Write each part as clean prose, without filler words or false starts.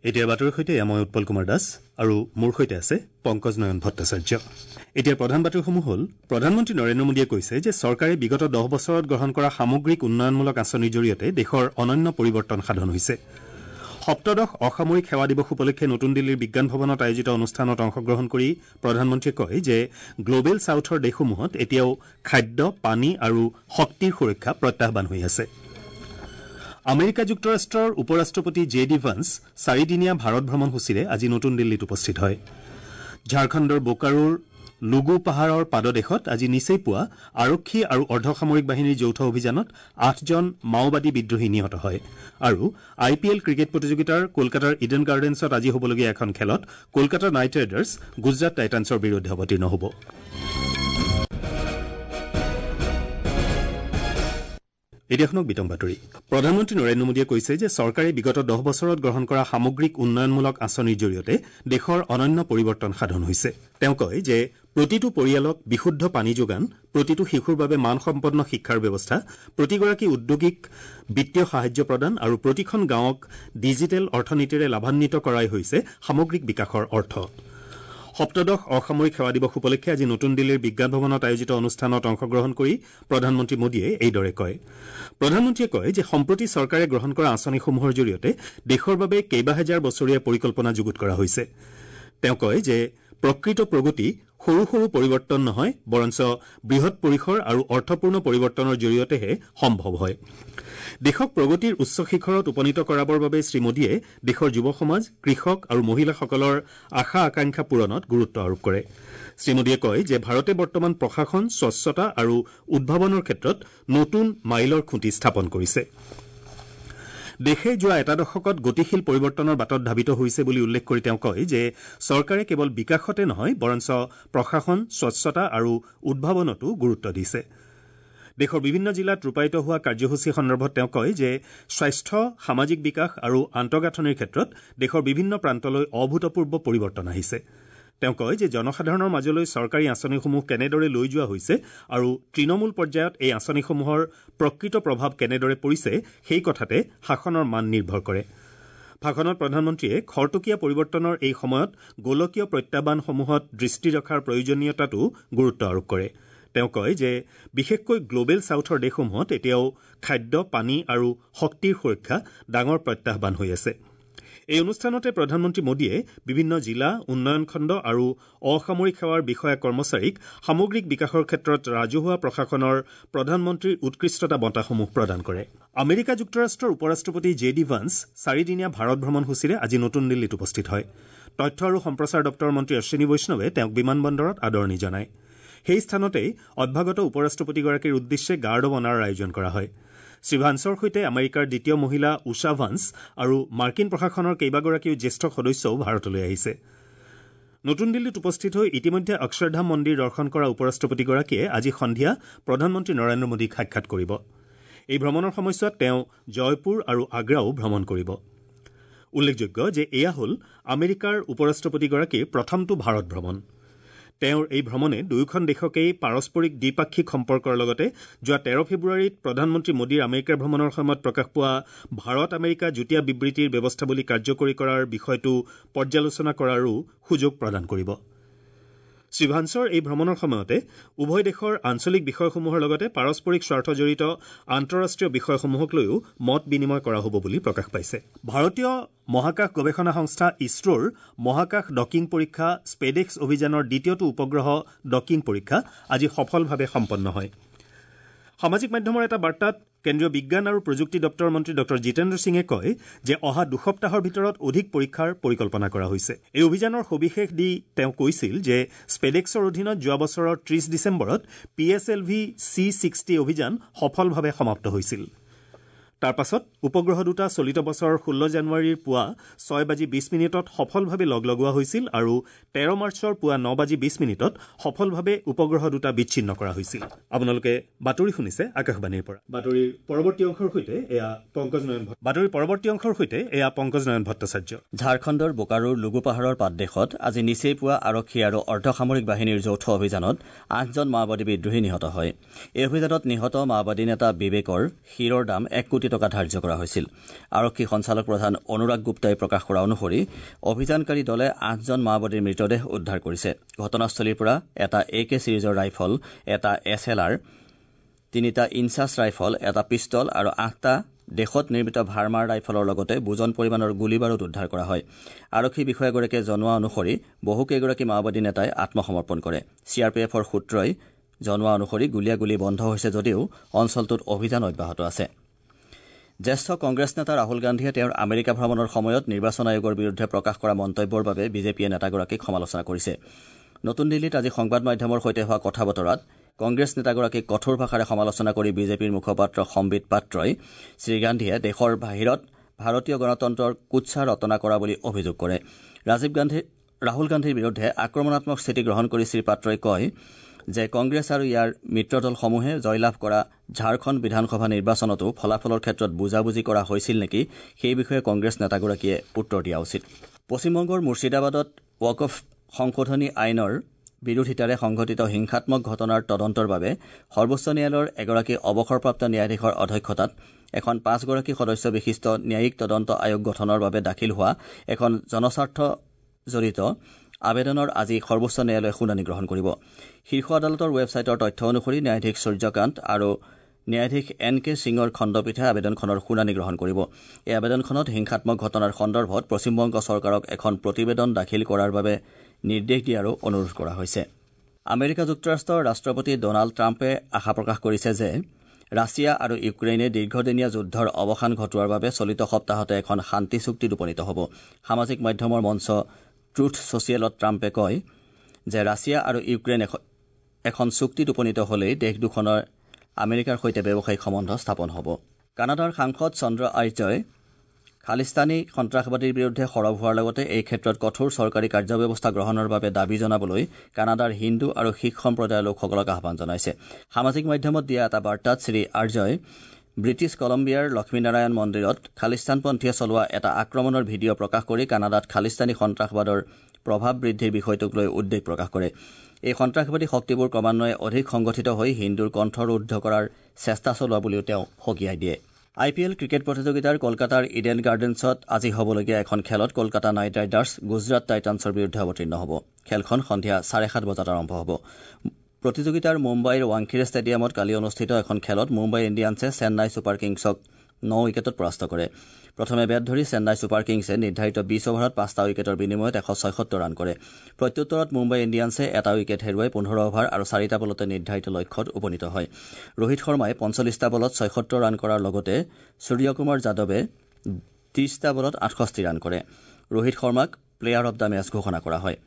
এতিয়া বাতৰিৰ সৈতে মই উৎপল কুমাৰ দাস আৰু মোৰ সৈতে আছে পংকজ নয়ন ভট্টাচাৰ্য। এতিয়া প্ৰধান বাতৰিসমূহ হ'ল, প্ৰধানমন্ত্ৰী নৰেন্দ্ৰ মোদীয়ে কৈছে যে চৰকাৰে বিগত 10 বছৰত গ্ৰহণ কৰা সামগ্ৰিক উন্নয়নমূলক আঁচনিৰ জৰিয়তে দেশৰ অনন্য পৰিৱৰ্তন সাধন হৈছে। সপ্তদশ অসামৰিক সেৱা দিৱস উপলক্ষে নতুন দিল্লীৰ বিজ্ঞান ভৱনত আয়োজিত অনুষ্ঠানত অংশগ্ৰহণ কৰি প্ৰধানমন্ত্ৰীয়ে কয় যে গ্ল'বেল ছাউথৰ দেশসমূহত এতিয়াও খাদ্য, পানী আৰু শক্তিৰ সুৰক্ষা প্ৰত্যাহ্বান হৈ আছে। আমেৰিকা যুক্তৰাষ্ট্ৰৰ উপ-ৰাষ্ট্ৰপতি জে ডি ভান্স চাৰিদিনীয়া ভাৰত ভ্ৰমণসূচীৰে আজি নতুন দিল্লীত উপস্থিত হয়। ঝাৰখণ্ডৰ বোকাৰোৰ লুগু পাহাৰৰ পাদদেশত আজি নিচেই পুৱা আৰক্ষী আৰু অৰ্ধসামৰিক বাহিনীৰ যৌথ অভিযানত ৮জন মাওবাদী বিদ্ৰোহী নিহত হয়। আৰু আই পি এল ক্ৰিকেট প্ৰতিযোগিতাৰ কলকাতাৰ ইডেন গাৰ্ডেন্সত আজি হ'বলগীয়া এখন খেলত কলকাতা নাইট ৰাইডাৰ্ছ গুজৰাট টাইটানছৰ বিৰুদ্ধে অৱতীৰ্ণ হ'ব। এতিয়া শুনক বিতং বাতৰি। প্ৰধানমন্ত্ৰী নৰেন্দ্ৰ মোদীয়ে কৈছে যে চৰকাৰে বিগত 10 বছৰত গ্ৰহণ কৰা সামগ্ৰিক উন্নয়নমূলক আঁচনিৰ জৰিয়তে দেশৰ অনন্য পৰিৱৰ্তন সাধন হৈছে। তেওঁ কয় যে প্ৰতিটো পৰিয়ালক বিশুদ্ধ পানী যোগান, প্ৰতিটো শিশুৰ বাবে মানসম্পন্ন শিক্ষাৰ ব্যৱস্থা, প্ৰতিগৰাকী উদ্যোগীক বিত্তীয় সাহায্য প্ৰদান আৰু প্ৰতিখন গাঁৱক ডিজিটেল অৰ্থনীতিৰে লাভান্বিত কৰাই হৈছে সামগ্ৰিক বিকাশৰ অৰ্থ। সপ্তদশ অসামৰিক সেৱা দিৱস উপলক্ষে আজি নতুন দিল্লীৰ বিজ্ঞান ভৱনত আয়োজিত অনুষ্ঠানত অংশগ্ৰহণ কৰি প্ৰধানমন্ত্ৰী মোদীয়ে এইদৰে কয়। প্ৰধানমন্ত্ৰীয়ে কয় যে সম্প্ৰতি চৰকাৰে গ্ৰহণ কৰা আঁচনিসমূহৰ জৰিয়তে দেশৰ বাবে কেইবাহেজাৰ বছৰীয়া পৰিকল্পনা যুগুত কৰা হৈছে। তেওঁ কয় যে প্ৰকৃত প্ৰগতি সৰু সৰু পৰিৱৰ্তন নহয়, বৰঞ্চ বৃহৎ পৰিসৰ আৰু অৰ্থপূৰ্ণ পৰিৱৰ্তনৰ জৰিয়তেহে সম্ভৱ হয়। দেশক প্ৰগতিৰ উচ্চ শিখৰত উপনীত কৰাবৰ বাবে শ্ৰীমোদীয়ে দেশৰ যুৱ সমাজ, কৃষক আৰু মহিলাসকলৰ আশা আকাংক্ষা পূৰণত গুৰুত্ব আৰোপ কৰে। শ্ৰীমোদীয়ে কয় যে ভাৰতে বৰ্তমান প্ৰশাসন, স্বচ্ছতা আৰু উদ্ভাৱনৰ ক্ষেত্ৰত নতুন মাইলৰ খুঁটি স্থাপন কৰিছে। দেশে যোৱা এটা দশকত গতিশীল পৰিৱৰ্তনৰ বাটত ধাবিত হৈছে বুলি উল্লেখ কৰি তেওঁ কয় যে চৰকাৰে কেৱল বিকাশতে নহয়, বৰঞ্চ প্ৰশাসন, স্বচ্ছতা আৰু উদ্ভাৱনতো গুৰুত্ব দিছে। দেশৰ বিভিন্ন জিলাত ৰূপায়িত হোৱা কাৰ্যসূচী সন্দৰ্ভত তেওঁ কয় যে স্বাস্থ্য, সামাজিক বিকাশ আৰু আন্তঃগাঁথনিৰ ক্ষেত্ৰত দেশৰ বিভিন্ন প্ৰান্তলৈ অভূতপূৰ্ব পৰিৱৰ্তন আহিছে। তেওঁ কয় যে জনসাধাৰণৰ মাজলৈ চৰকাৰী আঁচনিসমূহ কেনেদৰে লৈ যোৱা হৈছে আৰু তৃণমূল পৰ্যায়ত এই আঁচনিসমূহৰ প্ৰকৃত প্ৰভাৱ কেনেদৰে পৰিছে সেই কথাতে শাসনৰ মান নিৰ্ভৰ কৰে। ভাষণত প্ৰধানমন্ত্ৰীয়ে খৰতকীয়া পৰিৱৰ্তনৰ এই সময়ত গোলকীয় প্ৰত্যাহ্বানসমূহত দৃষ্টি ৰখাৰ প্ৰয়োজনীয়তাতো গুৰুত্ব আৰোপ কৰে। তেওঁ কয় যে বিশেষকৈ গ্ল'বেল ছাউথৰ দেশসমূহত এতিয়াও খাদ্য, পানী আৰু শক্তিৰ সুৰক্ষা ডাঙৰ প্ৰত্যাহ্বান হৈ আছে। এই অনুষ্ঠানতে প্ৰধানমন্ত্ৰী মোদীয়ে বিভিন্ন জিলা, উন্নয়ন খণ্ড আৰু অসামৰিক সেৱাৰ বিষয়া কৰ্মচাৰীক সামগ্ৰিক বিকাশৰ ক্ষেত্ৰত ৰাজহুৱা প্ৰশাসনৰ প্ৰধানমন্ত্ৰীৰ উৎকৃষ্টতা বঁটাসমূহ প্ৰদান কৰে। আমেৰিকা যুক্তৰাষ্ট্ৰৰ উপ-ৰাষ্ট্ৰপতি জে ডি ভান্স চাৰিদিনীয়া ভাৰত ভ্ৰমণসূচীৰে আজি নতুন দিল্লীত উপস্থিত হয়। তথ্য আৰু সম্প্ৰচাৰ দপ্তৰৰ মন্ত্ৰী অশ্বিনী বৈষ্ণৱে তেওঁক বিমানবন্দৰত আদৰণি জনায়। সেই স্থানতেই অভ্যাগত উপ-ৰাষ্ট্ৰপতিগৰাকীৰ উদ্দেশ্যে গাৰ্ড অৱ অনাৰৰ আয়োজন কৰা হয়। শ্ৰী ভান্সৰ সৈতে আমেৰিকাৰ দ্বিতীয় মহিলা উষা ভান্স আৰু মাৰ্কিন প্ৰশাসনৰ কেইবাগৰাকীও জ্যেষ্ঠ সদস্যও ভাৰতলৈ আহিছে। নতুন দিল্লীত উপস্থিত হৈ ইতিমধ্যে অক্ষৰধাম মন্দিৰ দৰ্শন কৰা উপ-ৰাষ্ট্ৰপতিগৰাকীয়ে আজি সন্ধিয়া প্ৰধানমন্ত্ৰী নৰেন্দ্ৰ মোদীক সাক্ষাৎ কৰিব। এই ভ্ৰমণৰ সময়ছোৱাত তেওঁ জয়পুৰ আৰু আগ্ৰাও ভ্ৰমণ কৰিব। উল্লেখযোগ্য যে এয়া হ'ল আমেৰিকাৰ উপ-ৰাষ্ট্ৰপতিগৰাকীৰ প্ৰথমটো ভাৰত ভ্ৰমণ। তেওঁৰ এই ভ্ৰমণে দুয়োখন দেশকেই পাৰস্পৰিক দ্বিপাক্ষিক সম্পৰ্কৰ লগতে যোৱা 13 ফেব্ৰুৱাৰীত প্ৰধানমন্ত্ৰী মোদীৰ আমেৰিকা ভ্ৰমণৰ সময়ত প্ৰকাশ পোৱা ভাৰত আমেৰিকা যুটীয়া বিবৃতিৰ ব্যৱস্থাৱলী কাৰ্যকৰী কৰাৰ বিষয়টো পৰ্যালোচনা কৰাৰো সুযোগ প্ৰদান কৰিব। শ্ৰী ভান্সৰ এই ভ্ৰমণৰ সময়তে উভয় দেশৰ আঞ্চলিক বিষয়সমূহৰ লগতে পাৰস্পৰিক স্বাৰ্থজড়িত আন্তঃৰাষ্ট্ৰীয় বিষয়সমূহক লৈও মত বিনিময় কৰা হ'ব বুলি প্ৰকাশ পাইছে। ভাৰতীয় মহাকাশ গৱেষণা সংস্থা ইছৰোৰ মহাকাশ ডকিং পৰীক্ষা স্পেডেক্স অভিযানৰ দ্বিতীয়টো উপগ্ৰহ ডকিং পৰীক্ষা আজি সফলভাৱে সম্পন্ন হয়। সামাজিক মাধ্যমৰ এটা বাৰ্তাত কেন্দ্ৰীয় বিজ্ঞান আৰু প্ৰযুক্তি দপ্তৰৰ মন্ত্ৰী ডঃ জিতেন্দ্ৰ সিঙে কয় যে অহা 2 সপ্তাহৰ ভিতৰত অধিক পৰীক্ষাৰ পৰিকল্পনা কৰা হৈছে। এই অভিযানৰ সবিশেষ দি তেওঁ কৈছিল যে স্পেডেক্সৰ অধীনত যোৱা বছৰৰ 30 ডিচেম্বৰত PSLV C-60 অভিযান সফলভাৱে সমাপ্ত হৈছিল। তাৰ পাছত উপগ্ৰহ দুটা চলিত বছৰৰ 16 জানুৱাৰীৰ পুৱা 6:20 সফলভাৱে লগ লগোৱা হৈছিল আৰু 13 মাৰ্চৰ পুৱা 9:20 সফলভাৱে উপগ্ৰহ দুটা বিচ্ছিন্ন কৰা হৈছিল। আপোনালোকে বাতৰি শুনিছে আকাশবাণীৰ পৰা। বাতৰিৰ পৰৱৰ্তী অংশৰ সৈতে এয়া পংকজ নয়ন ভট্ট। বাতৰিৰ পৰৱৰ্তী অংশৰ সৈতে এয়া পংকজ নয়ন ভট্টাচাৰ্য। ঝাৰখণ্ডৰ বোকাৰোৰ লুগু পাহাৰৰ পাদদেশত আজি নিচেই পুৱা আৰক্ষী আৰু অৰ্ধসামৰিক বাহিনীৰ যৌথ অভিযানত ৮জন মাওবাদী বিদ্ৰোহী নিহত হয়। এই অভিযানত নিহত মাওবাদী নেতা বিবেকৰ শিৰৰ দাম ১ কোটি কোটি টকা ধাৰ্য কৰা হৈছিল। আৰক্ষী সঞ্চালক প্ৰধান অনুৰাগ গুপ্তাই প্ৰকাশ কৰা অনুসৰি অভিযানকাৰী দলে ৮জন মাওবাদীৰ মৃতদেহ উদ্ধাৰ কৰিছে। ঘটনাস্থলীৰ পৰা এটা এ কে ছিৰিজৰ ৰাইফল, এটা এছ এল আৰ, ৩টা ইনচাছ ৰাইফল, এটা পিষ্টল আৰু ৮টা দেশত নিৰ্মিত ভাৰ্মাৰ ৰাইফলৰ লগতে বুজন পৰিমাণৰ গুলী বাৰুদ উদ্ধাৰ কৰা হয়। আৰক্ষী বিষয়াগৰাকীয়ে জনোৱা অনুসৰি বহুকেইগৰাকী মাওবাদী নেতাই আত্মসমৰ্পণ কৰে। চি আৰ পি এফৰ সূত্ৰই জনোৱা অনুসৰি গুলীয়াগুলী বন্ধ হৈছে যদিও অঞ্চলটোত অভিযান অব্যাহত আছে। জ্যেষ্ঠ কংগ্ৰেছ নেতা ৰাহুল গান্ধীয়ে তেওঁৰ আমেৰিকা ভ্ৰমণৰ সময়ত নিৰ্বাচন আয়োগৰ বিৰুদ্ধে প্ৰকাশ কৰা মন্তব্যৰ বাবে বিজেপিয়ে নেতাগৰাকীক সমালোচনা কৰিছে। নতুন দিল্লীত আজি সংবাদ মাধ্যমৰ সৈতে হোৱা কথা বতৰাত কংগ্ৰেছ নেতাগৰাকীক কঠোৰ ভাষাৰে সমালোচনা কৰি বিজেপিৰ মুখপাত্ৰ সম্বিত পাত্ৰই শ্ৰীগান্ধীয়ে দেশৰ বাহিৰত ভাৰতীয় গণতন্ত্ৰৰ কুৎসা ৰচনা কৰা বুলি অভিযোগ কৰে। ৰাহুল গান্ধীৰ বিৰুদ্ধে আক্ৰমণাত্মক স্থিতি গ্ৰহণ কৰি শ্ৰীপাত্ৰই কয় যে কংগ্ৰেছ আৰু ইয়াৰ মিত্ৰদলসমূহে জয়লাভ কৰা ঝাৰখণ্ড বিধানসভা নিৰ্বাচনতো ফলাফলৰ ক্ষেত্ৰত বুজাবুজি কৰা হৈছিল নেকি সেই বিষয়ে কংগ্ৰেছ নেতাগৰাকীয়ে উত্তৰ দিয়া উচিত। পশ্চিমবংগৰ মুৰ্ছিদাবাদত ৱাকফ সংশোধনী আইনৰ বিৰোধিতাৰে সংঘটিত হিংসাত্মক ঘটনাৰ তদন্তৰ বাবে সৰ্বোচ্চ ন্যায়ালয়ৰ এগৰাকী অৱসৰপ্ৰাপ্ত ন্যায়াধীশৰ অধ্যক্ষতাত এখন ৫গৰাকী সদস্য বিশিষ্ট ন্যায়িক তদন্ত আয়োগ গঠনৰ বাবে দাখিল হোৱা এখন জনস্বাৰ্থ জড়িত আবেদনৰ আজি সৰ্বোচ্চ ন্যায়ালয়ে শুনানি গ্ৰহণ কৰিব। শীৰ্ষ আদালতৰ ৱেবছাইটৰ তথ্য অনুসৰি ন্যায়াধীশ সূৰ্যকান্ত আৰু ন্যায়াধীশ এন কে সিঙৰ খণ্ডপীঠে আবেদনখনৰ শুনানি গ্ৰহণ কৰিব। এই আবেদনখনত হিংসাত্মক ঘটনাৰ সন্দৰ্ভত পশ্চিমবংগ চৰকাৰক এখন প্ৰতিবেদন দাখিল কৰাৰ বাবে নিৰ্দেশ দিয়াৰো অনুৰোধ কৰা হৈছে। আমেৰিকা যুক্তৰাষ্ট্ৰৰ ৰাষ্ট্ৰপতি ডনাল্ড ট্ৰাম্পে আশা প্ৰকাশ কৰিছে যে ৰাছিয়া আৰু ইউক্ৰেইনে দীৰ্ঘদিনীয়া যুদ্ধৰ অৱসান ঘটোৱাৰ বাবে চলিত সপ্তাহতে এখন শান্তি চুক্তিত উপনীত হ'ব। সামাজিক মাধ্যমৰ মঞ্চ ট্ৰুথ ছ'চিয়েলত ট্ৰাম্পে কয় যে ৰাছিয়া আৰু ইউক্ৰেইন এখন চুক্তিত উপনীত হ'লেই দেশ দুখনৰ আমেৰিকাৰ সৈতে ব্যৱসায়িক সম্বন্ধ স্থাপন হ'ব। কানাডাৰ সাংসদ চন্দ্ৰ আৰ্যই খালিস্তানী সন্ত্ৰাসবাদীৰ বিৰুদ্ধে সৰব হোৱাৰ লগতে এই ক্ষেত্ৰত কঠোৰ চৰকাৰী কাৰ্যব্যৱস্থা গ্ৰহণৰ বাবে দাবী জনাবলৈ কানাডাৰ হিন্দু আৰু শিখ সম্প্ৰদায়ৰ লোকসকলক আহ্বান জনাইছে। সামাজিক মাধ্যমত দিয়া এটা বাৰ্তাত শ্ৰী আৰ্যই ব্ৰিটিছ কলম্বিয়াৰ লক্ষ্মীনাৰায়ণ মন্দিৰত খালিস্তানপন্থীয়ে চলোৱা এটা আক্ৰমণৰ ভিডিঅ' প্ৰকাশ কৰি কানাডাত খালিস্তানী সন্ত্ৰাসবাদৰ প্ৰভাৱ বৃদ্ধিৰ বিষয়টোক লৈ উদ্বেগ প্ৰকাশ কৰে। এই সন্ত্ৰাসবাদী শক্তিবোৰ ক্ৰমান্বয়ে অধিক সংগঠিত হৈ হিন্দুৰ কণ্ঠৰুদ্ধ কৰাৰ চেষ্টা চলোৱা বুলিও তেওঁ সকীয়াই দিয়ে। আই পি এল ক্ৰিকেট প্ৰতিযোগিতাৰ কলকাতাৰ ইডেন গাৰ্ডেন্সত আজি হ'বলগীয়া এখন খেলত কলকাতা নাইট ৰাইডাৰ্ছ গুজৰাট টাইটানছৰ বিৰুদ্ধে অৱতীৰ্ণ হ'ব। খেলখন সন্ধিয়া 7:30 বজাত আৰম্ভ হ'ব। প্ৰতিযোগিতাৰ মুম্বাইৰ ৱাংখেড়ে ষ্টেডিয়ামত কালি অনুষ্ঠিত এখন খেলত মুম্বাই ইণ্ডিয়ানছে চেন্নাই ছুপাৰ কিংছক ৯ উইকেটত পৰাস্ত কৰে। প্ৰথমে বেট ধৰি চেন্নাই ছুপাৰ কিংছে নিৰ্ধাৰিত ২০ অভাৰত ৫টা উইকেটৰ বিনিময়ত ১৭৬ ৰান কৰে। প্ৰত্যুত্তৰত মুম্বাই ইণ্ডিয়ানছে এটা উইকেট হেৰুৱাই ১৫ অভাৰ আৰু ৪টা বলতে নিৰ্ধাৰিত লক্ষ্যত উপনীত হয়। ৰোহিত শৰ্মাই ৪৫টা বলত ৭৬ ৰান কৰাৰ লগতে সূৰ্যকুমাৰ যাদৱে ৩০টা বলত ৬৮ ৰান কৰে। ৰোহিত শৰ্মাক প্লেয়াৰ অব the match ঘোষণা কৰা হয়।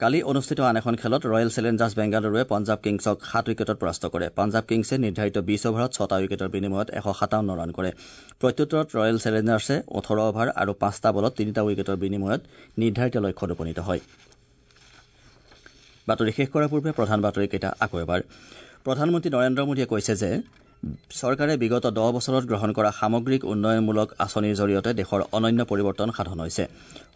কালি অনুষ্ঠিত আন এখন খেলত ৰয়েল চেলেঞ্জাৰ্ছ বেংগালুৰুৱে পঞ্জাৱ কিংছক ৭ উইকেটত পৰাস্ত কৰে। পঞ্জাৱ কিংছে নিৰ্ধাৰিত ২০ অভাৰত ৬টা উইকেটৰ বিনিময়ত ১৫৭ ৰান কৰে। প্ৰত্যুত্তৰত ৰয়েল চেলেঞ্জাৰ্ছে ১৮ অভাৰ আৰু ৫টা বলত ৩টা উইকেটৰ বিনিময়ত নিৰ্ধাৰিত লক্ষ্যত উপনীত হয়। বাতৰি শেষ কৰাৰ পূৰ্বে প্ৰধান বাতৰিকেইটা আকৌ এবাৰ। প্ৰধানমন্ত্ৰী নৰেন্দ্ৰ মোদীয়ে কৈছে যে চৰকাৰে বিগত ১০ বছৰত গ্ৰহণ কৰা সামগ্ৰিক উন্নয়নমূলক আঁচনিৰ জৰিয়তে দেশৰ অনন্য পৰিৱৰ্তন সাধন হৈছে।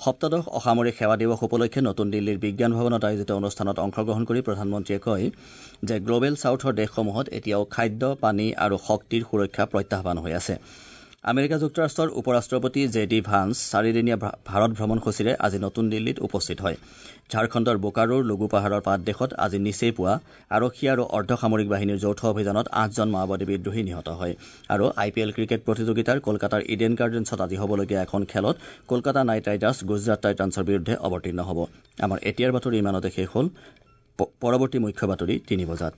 সপ্তদশ অসামৰিক সেৱা দিৱস উপলক্ষে নতুন দিল্লীৰ বিজ্ঞান ভৱনত আয়োজিত অনুষ্ঠানত অংশগ্ৰহণ কৰি প্ৰধানমন্ত্ৰীয়ে কয় যে গ্ল'বেল ছাউথৰ দেশসমূহত এতিয়াও খাদ্য, পানী আৰু শক্তিৰ সুৰক্ষা প্ৰত্যাহ্বান হৈ আছে। আমেৰিকা যুক্তৰাষ্ট্ৰৰ উপ ৰাষ্ট্ৰপতি জে ডি ভান্স চাৰিদিনীয়া ভাৰত ভ্ৰমণসূচীৰে আজি নতুন দিল্লীত উপস্থিত হয়। ঝাৰখণ্ডৰ বোকাৰোৰ লঘু পাহাৰৰ পাদদেশত আজি নিচেই পুৱা আৰক্ষী আৰু অৰ্ধসামৰিক বাহিনীৰ যৌথ অভিযানত ৮জন মাওবাদী বিদ্ৰোহী নিহত হয়। আৰু আই পি এল ক্ৰিকেট প্ৰতিযোগিতাৰ কলকাতাৰ ইডেন গাৰ্ডেন্সত আজি হ'বলগীয়া এখন খেলত কলকাতা নাইট ৰাইডাৰ্ছ গুজৰাট টাইটানছৰ বিৰুদ্ধে অৱতীৰ্ণ হ'ব। আমাৰ এতিয়াৰ বাতৰি ইমানতে শেষ হ'ল। পৰৱৰ্তী মুখ্য বাতৰি ৩ বজাত।